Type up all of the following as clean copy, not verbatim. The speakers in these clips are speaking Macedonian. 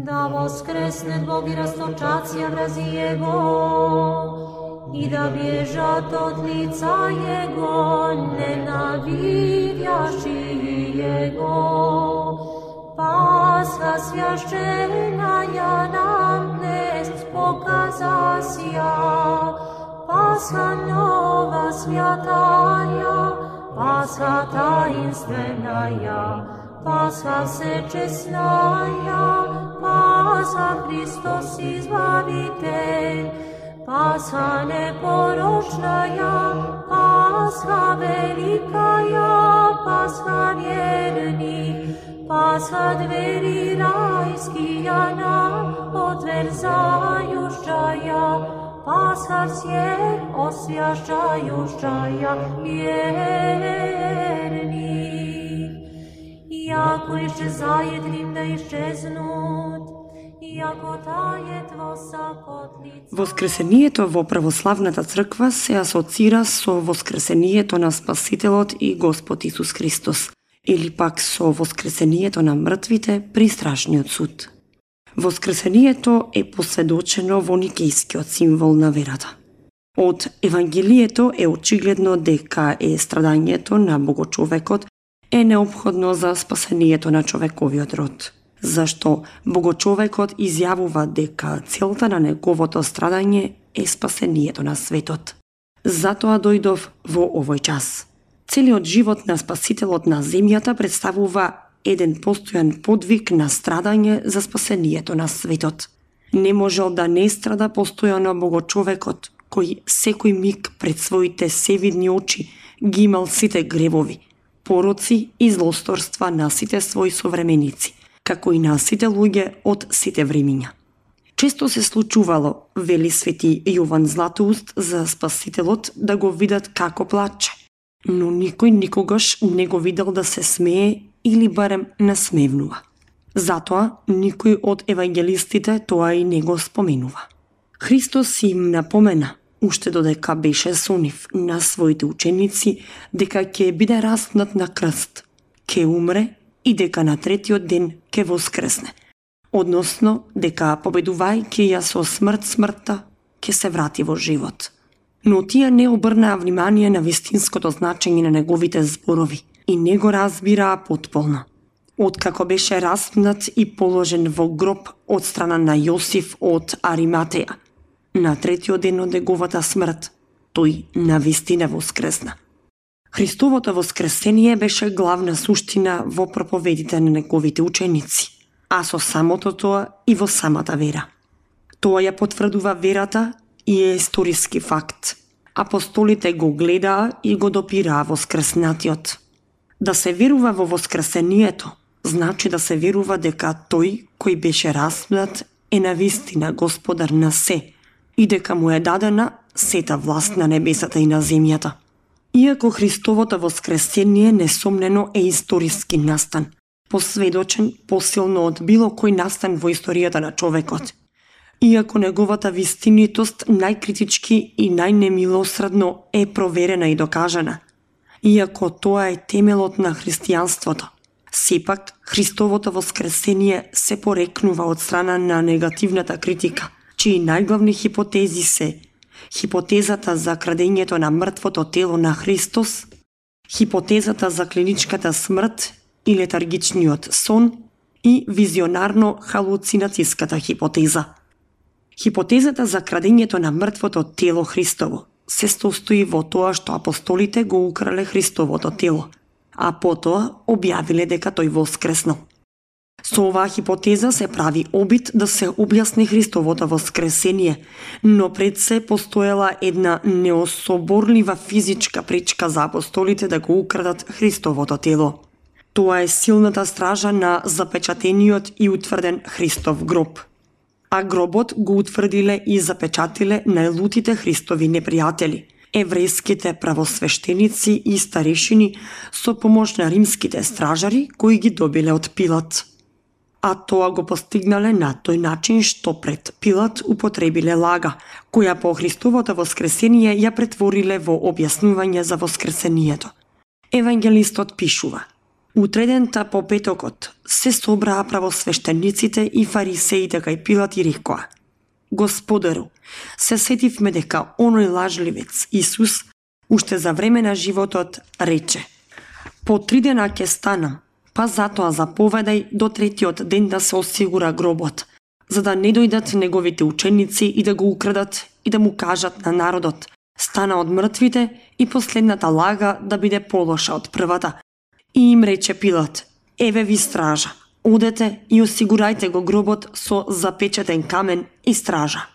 Да воскресне Бог и расточација врази Его, и да бежат од лица Его, ненавидящи Его. Пасха священная нам днес показася, Пасха нова святая, Пасха таинственная, Пасха всечестная, Пасха Христос Избавитель, Пасха непорочная, Пасха великая, Пасха верник, Пасха двери райские нам отверзающая, Пасха всех освящающая верник. Яко исчезает Рим да исчезнут, яко тајет во сакот лица. Воскресението во православната црква се асоцира со воскресението на Спасителот и Господ Исус Христос, или пак со воскресението на мртвите при страшниот суд. Воскресението е посведочено во никејскиот символ на верата. Од Евангелието е очигледно дека страдањето на Богочовекот е неопходно за спасението на човековиот род, зашто Богочовекот изјавува дека целта на неговото страдање е спасението на светот. Затоа дојдов во овој час. Целиот живот на Спасителот на земјата представува еден постојан подвиг на страдање за спасението на светот. Не можел да не страда постојано Богочовекот, кој секој миг пред своите севидни очи ги имал сите гревови, пороци и злосторства на сите своји современици, како и на сите луѓе од сите времиња. Често се случувало, вели свети Јован Златоуст, за Спасителот да го видат како плаче, но никој никогаш не го видел да се смее или барем насмевнува. Затоа никој од евангелистите тоа и не го споменува. Христос им напомена, уште додека беше со нив, на своите ученици, дека ќе биде распнат на крст, ќе умре и дека на третиот ден ќе воскресне. Односно, дека победувајќи ја со смртта, ќе се врати во живот. Но тие не обрнаа внимание на вистинското значење на неговите зборови и не го разбираа потполно. Откако беше распнат и положен во гроб од страна на Јосиф од Ариматеја, на третиот ден од неговата смрт, тој навистина воскресна. Христовото воскресение беше главна суштина во проповедите на неговите ученици, а со самото тоа и во самата вера. Тоа ја потврдува верата и е историски факт. Апостолите го гледаа и го допираа воскреснатиот. Да се верува во воскресението, значи да се верува дека тој кој беше распнат е навистина Господар на се и дека му е дадена сета власт на небесата и на земјата. Иако Христовото воскресение несомнено е историски настан, посведочен посилно од било кој настан во историјата на човекот. Иако неговата вистинитост најкритички и најнемилосредно е проверена и докажана, иако тоа е темелот на христијанството, сепак Христовото воскресение се порекнува од страна на негативната критика, чии најглавни хипотези се хипотезата за крадењето на мртвото тело на Христос, хипотезата за клиничката смрт и летаргичниот сон и визионарно-халуцинацијската хипотеза. Хипотезата за крадењето на мртвото тело Христово се состои во тоа што апостолите го украле Христовото тело, а потоа објавиле дека тој воскреснал. Со оваа хипотеза се прави обид да се објасни Христовото воскресение, но пред се постоела една неособорлива физичка пречка за апостолите да го украдат Христовото тело. Тоа е силната стража на запечатениот и утврден Христов гроб. А гробот го утврдиле и запечатиле најлутите Христови непријатели, еврејските правосвештеници и старешини со помош на римските стражари кои ги добиле од Пилат. А тоа го постигнале на тој начин што пред Пилат употребиле лага, која по Христовото воскресение ја претвориле во објаснување за воскресението. Евангелистот пишува: Утредента по петокот се собраа правосвештениците и фарисеите кај Пилат и рекоа: Господару, се сетивме дека оној лажливец Исус уште за време на животот рече: по 3 дена ќе станам, па затоа заповедај до 3-тиот ден да се осигура гробот, за да не дојдат неговите ученици и да го украдат и да му кажат на народот: стана од мртвите и последната лага да биде полоша од првата. И им рече Пилат: еве ви стража, одете и осигурајте го гробот со запечатен камен и стража.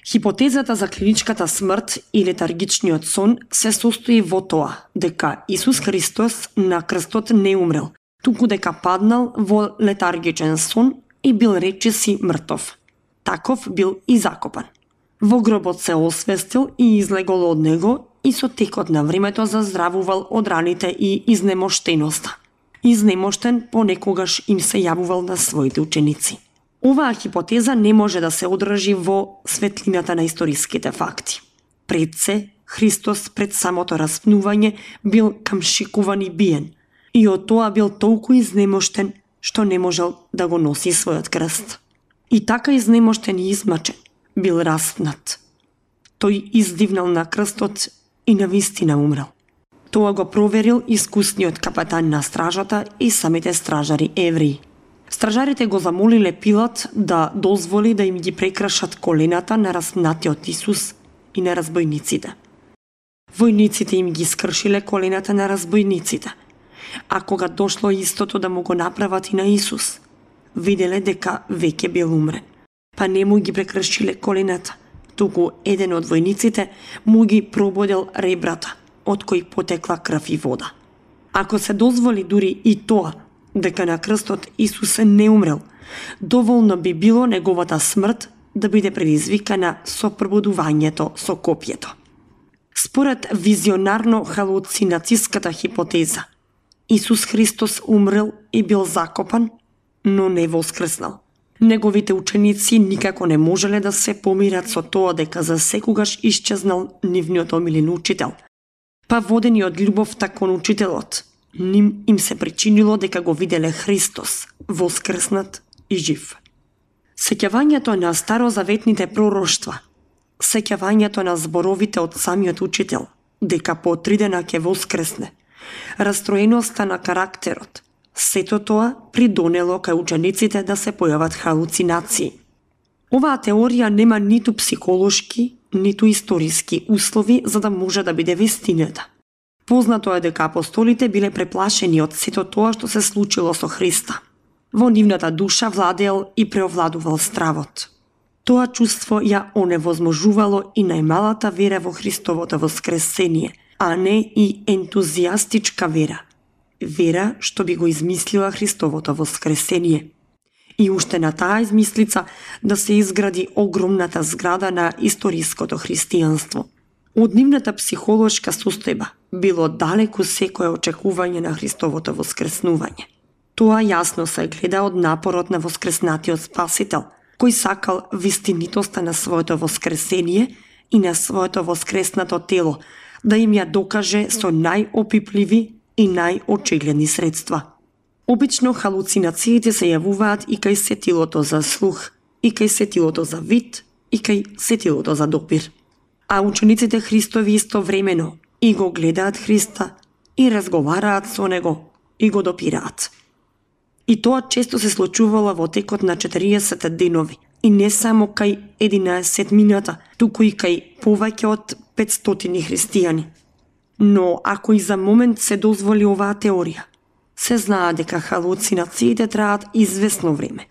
Хипотезата за клиничката смрт и летаргичниот сон се состои во тоа дека Исус Христос на крстот не умрел, туку дека паднал во летаргичен сон и бил речиси мртов. Таков бил и закопан. Во гробот се освестил и излегол од него и со текот на времето заздравувал од раните и изнемоштеноста. Изнемоштен понекогаш им се јавувал на своите ученици. Оваа хипотеза не може да се одржи во светлината на историските факти. Пред се, Христос пред самото распнување бил камшикуван и биен, и од тоа бил толку изнемоштен што не можел да го носи својот крст. И така изнемоштен и измачен бил распнат. Тој издивнал на крстот и навистина умрел. Тоа го проверил искусниот капетан на стражата и самите стражари евреи. Стражарите го замолиле Пилат да дозволи да им ги прекрашат колената на распнатиот Исус и на разбойниците. Војниците им ги скршиле колената на разбойниците, а кога дошло истото да му го направат и на Исус, виделе дека веќе бил умрен. Па не му ги прекршиле колената, туку еден од војниците му ги прободел ребрата, од кои потекла крв и вода. Ако се дозволи дури и тоа, дека на крстот Исус не умрел, доволно би било неговата смрт да биде предизвикана со пробудувањето со копјето. Според визионарно-халуцинацијската хипотеза, Исус Христос умрел и бил закопан, но не воскреснал. Неговите ученици никако не можеле да се помират со тоа дека за секогаш исчезнал нивниот омилен учител. Па водени од љубовта кон учителот, ним им се причинило дека го виделе Христос, воскреснат и жив. Сеќавањето на старозаветните пророштва, сеќавањето на зборовите од самиот учител, дека по 3 дена ќе воскресне, растроеноста на карактерот, сето тоа придонело кај учениците да се појават халуцинации. Оваа теорија нема ниту психолошки, ниту историски услови за да може да биде вистината. Познато е дека апостолите биле преплашени од сето тоа што се случило со Христа. Во нивната душа владеел и преовладувал стравот. Тоа чувство ја оневозможувало и најмалата вера во Христовото воскресение, а не и ентузијастичка вера. Вера што би го измислила Христовото воскресение. И уште на таа измислица да се изгради огромната зграда на историското христијанство. Од нивната психолошка состојба било далеку секое очекување на Христовото воскреснување. Тоа јасно се гледа од напорот на воскреснатиот Спасител, кој сакал вистинитоста на своето воскресение и на своето воскреснато тело, да им ја докаже со најопипливи и најочигледни средства. Обично халуцинациите се јавуваат и кај сетилото за слух, и кај сетилото за вид, и кај сетилото за допир. А учениците Христови истовремено и го гледаат Христа, и разговараат со Него, и го допираат. И тоа често се случувало во текот на 40 денови, и не само кај 11 мината, туку и кај повеќе од 500 христијани. Но ако и за момент се дозволи оваа теорија, се знае дека халуцинациите траат известно време.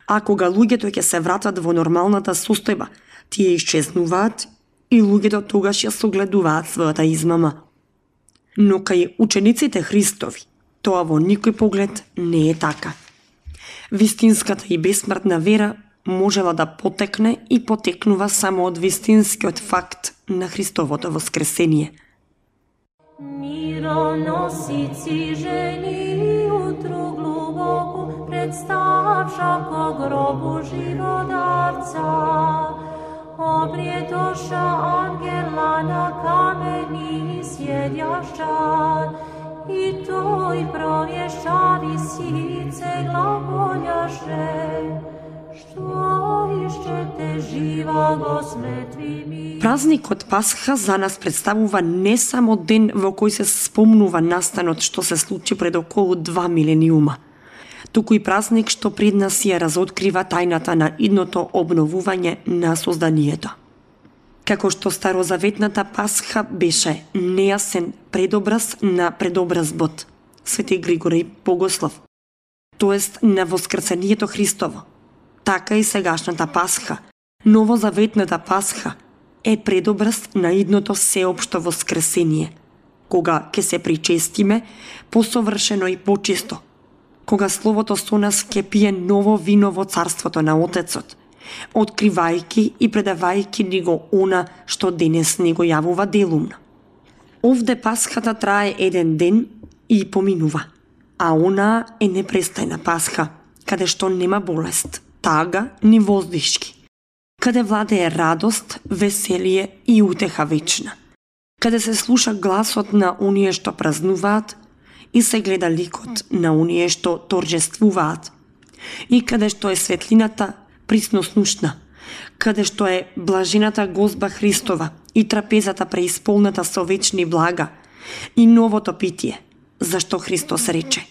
А кога луѓето ќе се вратат во нормалната состојба, тие исчезнуваат и луѓето тогаш ја согледуваат својата измама. Но кај учениците Христови, тоа во никој поглед не е така. Вистинската и бесмртна вера можела да потекне и потекнува само од вистинскиот факт на Христовото воскресение. Мироносици жени утру глубоку представша ко гробу живодарца. Обриетоша ангела на камени сједјашча i toj provješćavi sice glagoljaše, što išćete živa go smetvi mi. Празникот Пасха за нас представува не само ден во кој се спомнува настанот што се случи пред околу 2 милениума, туку и празник што пред нас ја разоткрива тајната на идното обновување на созданието. Како што старозаветната Пасха беше нејасен предобраз на предобразбот, Свети Григорий Богослов, тоест на воскресението Христово, така и сегашната Пасха, новозаветната Пасха, е предобраз на идното сеопшто воскресение, кога ќе се причестиме посовршено и почисто, кога Словото со нас ќе пие ново вино во царството на Отецот, откривајќи и предавајќи ни го она што денес ни го јавува делумно. Овде Пасхата трае еден ден и поминува, а она е непрестајна Пасха, каде што нема болест, тага ни воздишки, каде владее радост, веселие и утеха вечна, каде се слуша гласот на оние што празнуваат и се гледа ликот на оние што торжествуваат, и каде што е светлината присноснушна, каде што е блажената Госпа Христова и трапезата преисполната со вечни блага и новото питие, зашто Христос рече: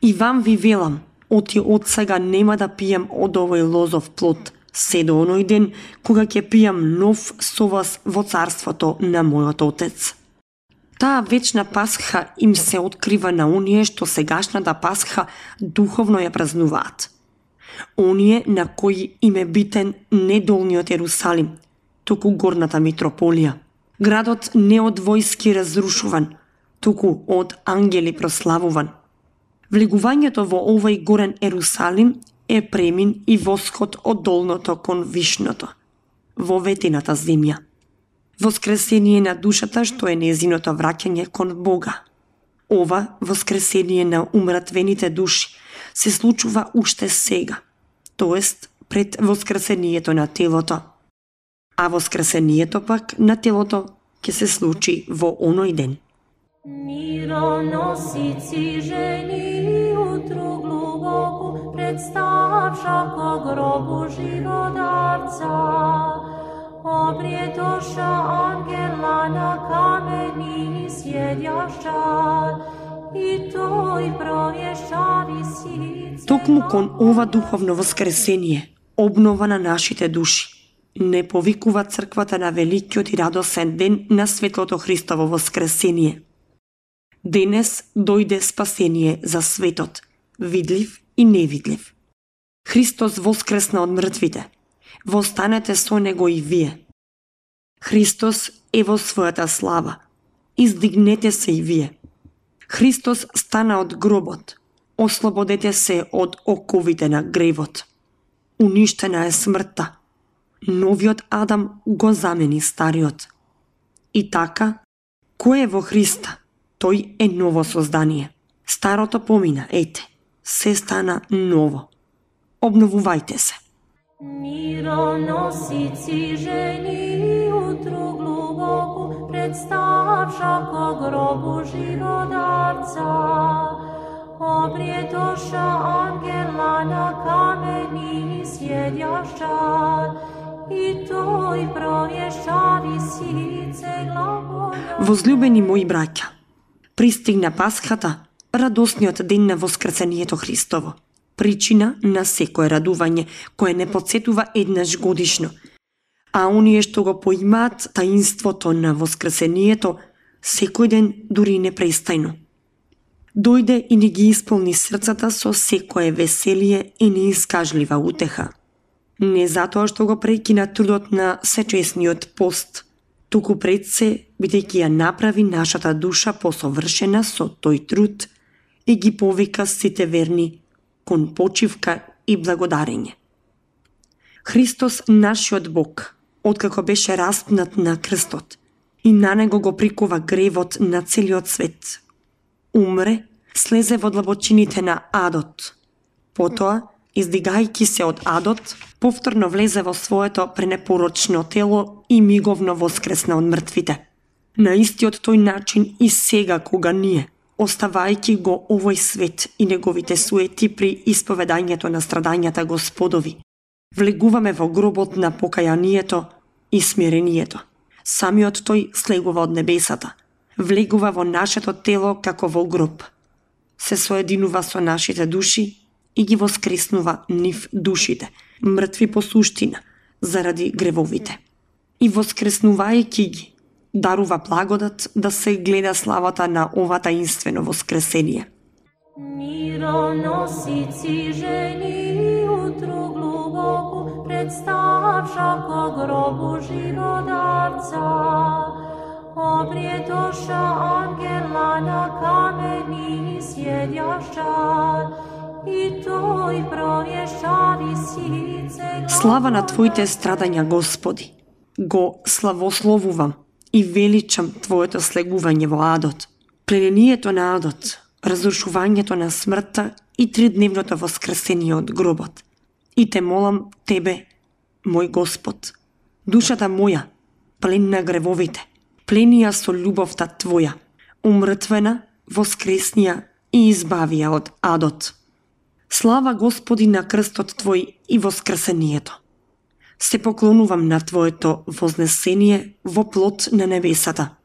„И вам ви велам, од сега нема да пијам од овој лозов плод, се до оној ден кога ќе пијам нов со вас во царството на мојот Отец“. Таа вечна Пасха им се открива на оние што сегашната Пасха духовно ја празнуваат. Оние на кои им е битен не долниот Ерусалим, туку горната митрополија. Градот не од војски разрушуван, туку од ангели прославуван. Влегувањето во овој горен Ерусалим е премин и восход од долното кон вишното, во ветената земја. Воскресение на душата што е незиното враќање кон Бога. Ова воскресение на умратвените души се случува уште сега, тоест пред воскресението на телото. А воскресението пак на телото ќе се случи во оној ден. Мироносици жени утру глубоку представша ко гробу живодарца, обриетоша ангела на камени сједјаща, и тој провјешчави сице. Токму кон ова духовно воскресение, обнова на нашите души, не повикува црквата на великиот и радосен ден на светлото Христово воскресение. Денес дојде спасение за светот, видлив и невидлив. Христос воскресна од мртвите. Востанете со него и вие. Христос е во својата слава. Издигнете се и вие. Христос стана од гробот. Ослободете се од оковите на гревот. Уништена е смртта. Новиот Адам го замени стариот. И така, кој е во Христа, тој е ново создание. Старото помина, ете, се стана ново. Обновувајте се. Мироносици жени утру глубоку представша ко гробу живодарца, обриетоша ангела на камени сједјаща, и тој провјешчави сице глаголја. Возлюбени мои браќа, пристигна Пасхата, радосниот ден на воскресението Христово, причина на секое радување, кое не потсетува еднаш годишно, а оние што го поимаат таинството на воскресението секој ден, дури непрестајно. Дојде и ни ги исполни срцата со секое веселие и неискажлива утеха. Не затоа што го прекина трудот на сечесниот пост, туку пред се, бидејќи ја направи нашата душа посовршена со тој труд и ги повика сите верни кон почивка и благодарење. Христос, нашиот Бог, откако беше распнат на крстот и на него го прикува гревот на целиот свет, умре, слезе во длабочините на адот. Потоа, издигајќи се од адот, повторно влезе во своето пренепорочно тело и миговно воскресна од мртвите. На истиот тој начин и сега кога ние, оставајќи го овој свет и неговите суети при исповедањето на страдањата Господови. Влегуваме во гробот на покајанието и смирението. Самиот тој слегува од небесата. Влегува во нашето тело како во гроб. Се соединува со нашите души и ги воскреснува нив душите, мртви по суштина, заради гревовите. И воскреснувајќи ги, дарува благодат да се гледа славата на ова таинствено воскресение. Мироносици жени утру глубоку представша ко гробу живодарца. Обриетоша ангела на камени сједјашча и тој провјеша висице. Слава на Твоите страдања, Господи! Го славословувам и величам Твоето слегување во адот, пленението на адот, разрушувањето на смртта и тридневното воскресение од гробот. И те молам Тебе, мој Господ, душата моја, плен на гревовите, пленија со љубовта Твоја, умртвена, воскреснија и избавија од адот. Слава Господи на крстот Твој и воскресението. Се поклонувам на Твоето вознесение во плот на небесата.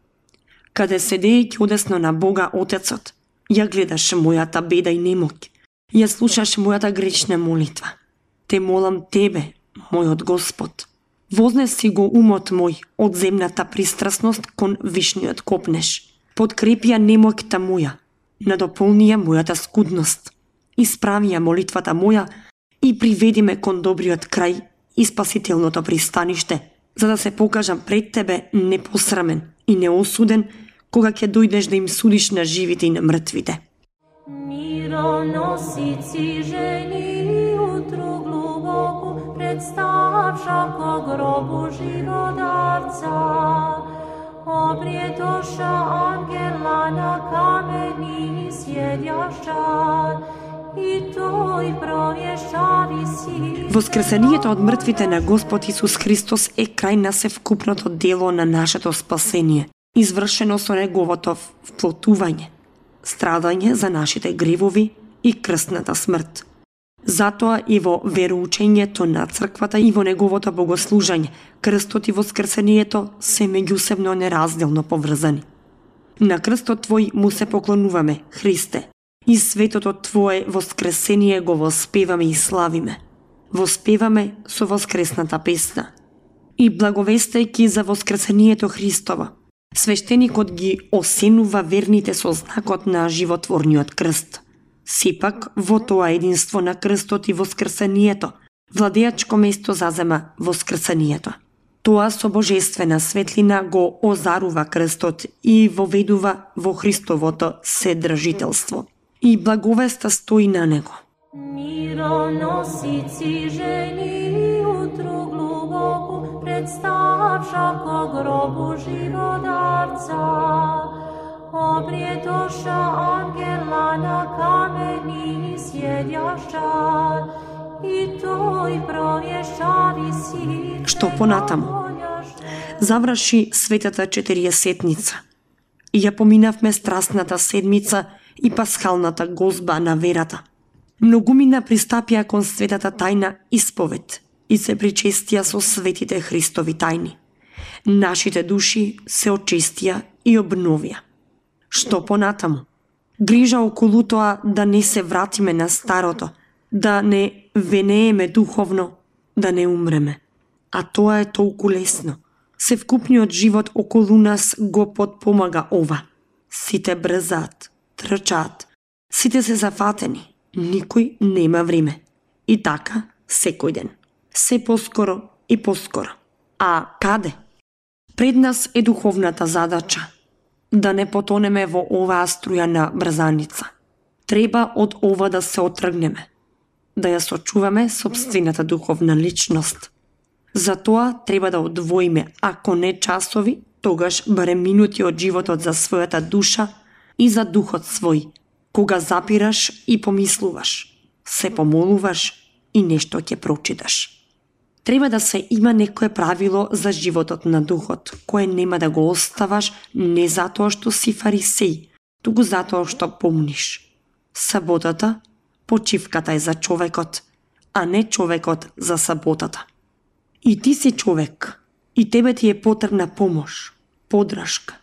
Каде седејќи одесно на Бога Отецот, ја гледаш мојата беда и немоќ, ја слушаш мојата грешна молитва. Те молам Тебе, мојот Господ. Вознеси го умот мој од земната пристрасност кон вишниот копнеш. Подкрепија немоќта моја, надополнија мојата скудност. Исправија молитвата моја и приведи ме кон добриот крај и спасителното пристаниште, за да се покажам пред Тебе непосрамен и неосуден, кога ќе дојдеш да им судиш на живите и на мртвите. Мироносици жени утру глубоку представша ко гробу живодарца. Обриетоша ангела на камени сједјашча и тој провјеша висице. Воскресението од мртвите на Господ Исус Христос е крај на севкупното дело на нашето спасение, извршено со неговото вплотување, страдање за нашите гревови и крстната смрт. Затоа и во вероучењето на црквата и во неговото богослужење, крстот и воскресението се меѓусебно неразделно поврзани. На крстот Твој му се поклонуваме, Христе, и светото Твое воскресение го воспеваме и славиме. Воспеваме со воскресната песна. И благовестајќи за воскресението Христово, свештеникот ги осенува верните со знакот на животворниот крст. Сепак, во тоа единство на крстот и воскресението, владеачко место зазема воскресението. Тоа со божествена светлина го озарува крстот и воведува во Христовото седржителство. И благовеста стои на него. Мироносици жени утру глубоку представша ко гробу живодарца. Обриетоша ангела на камени сједјашча и тој провјеша висице. Што понатаму? Заврши светата Четириесетница и ја поминавме страстната седмица и пасхалната гозба на верата. Многумина пристапија кон светата тајна исповед и се причестија со светите Христови тајни. Нашите души се очистија и обновија. Што понатаму? Грижа околу тоа да не се вратиме на старото, да не венееме духовно, да не умреме. А тоа е толку лесно. Севкупниот живот околу нас го потпомага ова. Сите брзаат, трчаат, сите се зафатени, никој нема време. И така, секој ден. Се поскоро и поскоро. А каде? Пред нас е духовната задача. Да не потонеме во оваа струја на брзаница. Треба од ова да се отргнеме. Да ја сочуваме собствената духовна личност. Затоа треба да одвоиме, ако не часови, тогаш барем минути од животот за својата душа и за духот свој, кога запираш и помислуваш, се помолуваш и нешто ќе прочиташ. Треба да се има некое правило за животот на духот, кое нема да го оставаш не затоа што си фарисеј, туку затоа што помниш. Саботата, почивката е за човекот, а не човекот за саботата. И ти си човек, и тебе ти е потребна помош, подршка,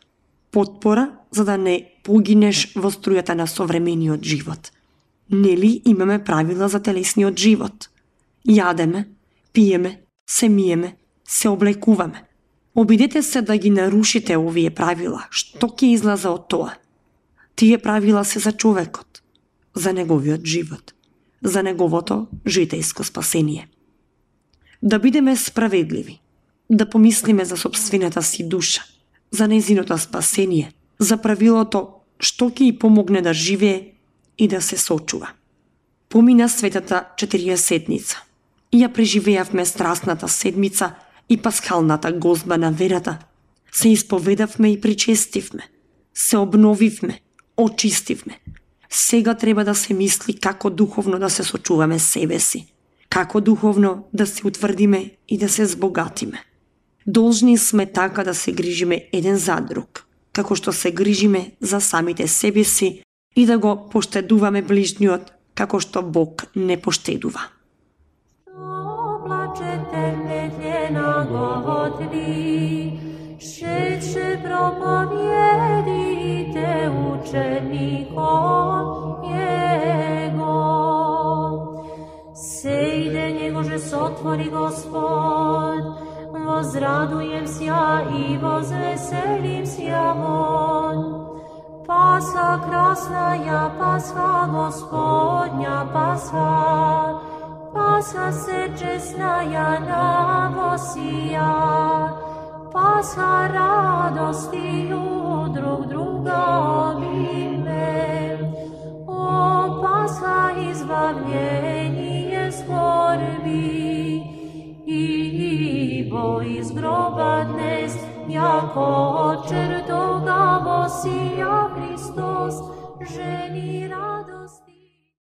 потпора, за да не погинеш во струјата на современиот живот. Нели имаме правила за телесниот живот? Јадеме, пиеме, се миеме, се облекуваме. Обидете се да ги нарушите овие правила. Што ќе излезе од тоа? Тие правила се за човекот, за неговиот живот, за неговото житејско спасение. Да бидеме справедливи, да помислиме за собствената си душа, за нејзиното спасение, за правилото што ќе ѝ помогне да живее и да се сочува. Помина светата 40-ница. И ја преживеавме страстната седмица и пасхалната гозба на верата. Се исповедавме и причестивме. Се обновивме, очистивме. Сега треба да се мисли како духовно да се сочуваме себе си, како духовно да се утврдиме и да се збогатиме. Должни сме така да се грижиме еден за друг, како што се грижиме за самите себе си и да го поштедуваме ближниот како што Бог не поштедува. Plačete medljena govotli, šeće propovijedite učenikom Jego. Sejde njegože sotvori Gospod, возрадуjem ся и возвеселим ся вон. Пасха красная, Пасха Господня, Пасха, Пасха сечесная новосия, Пасха радостью друг друга обиме. О, Пасха избавление скорби, ибо из гроба днес, яко от чертога восия Христос.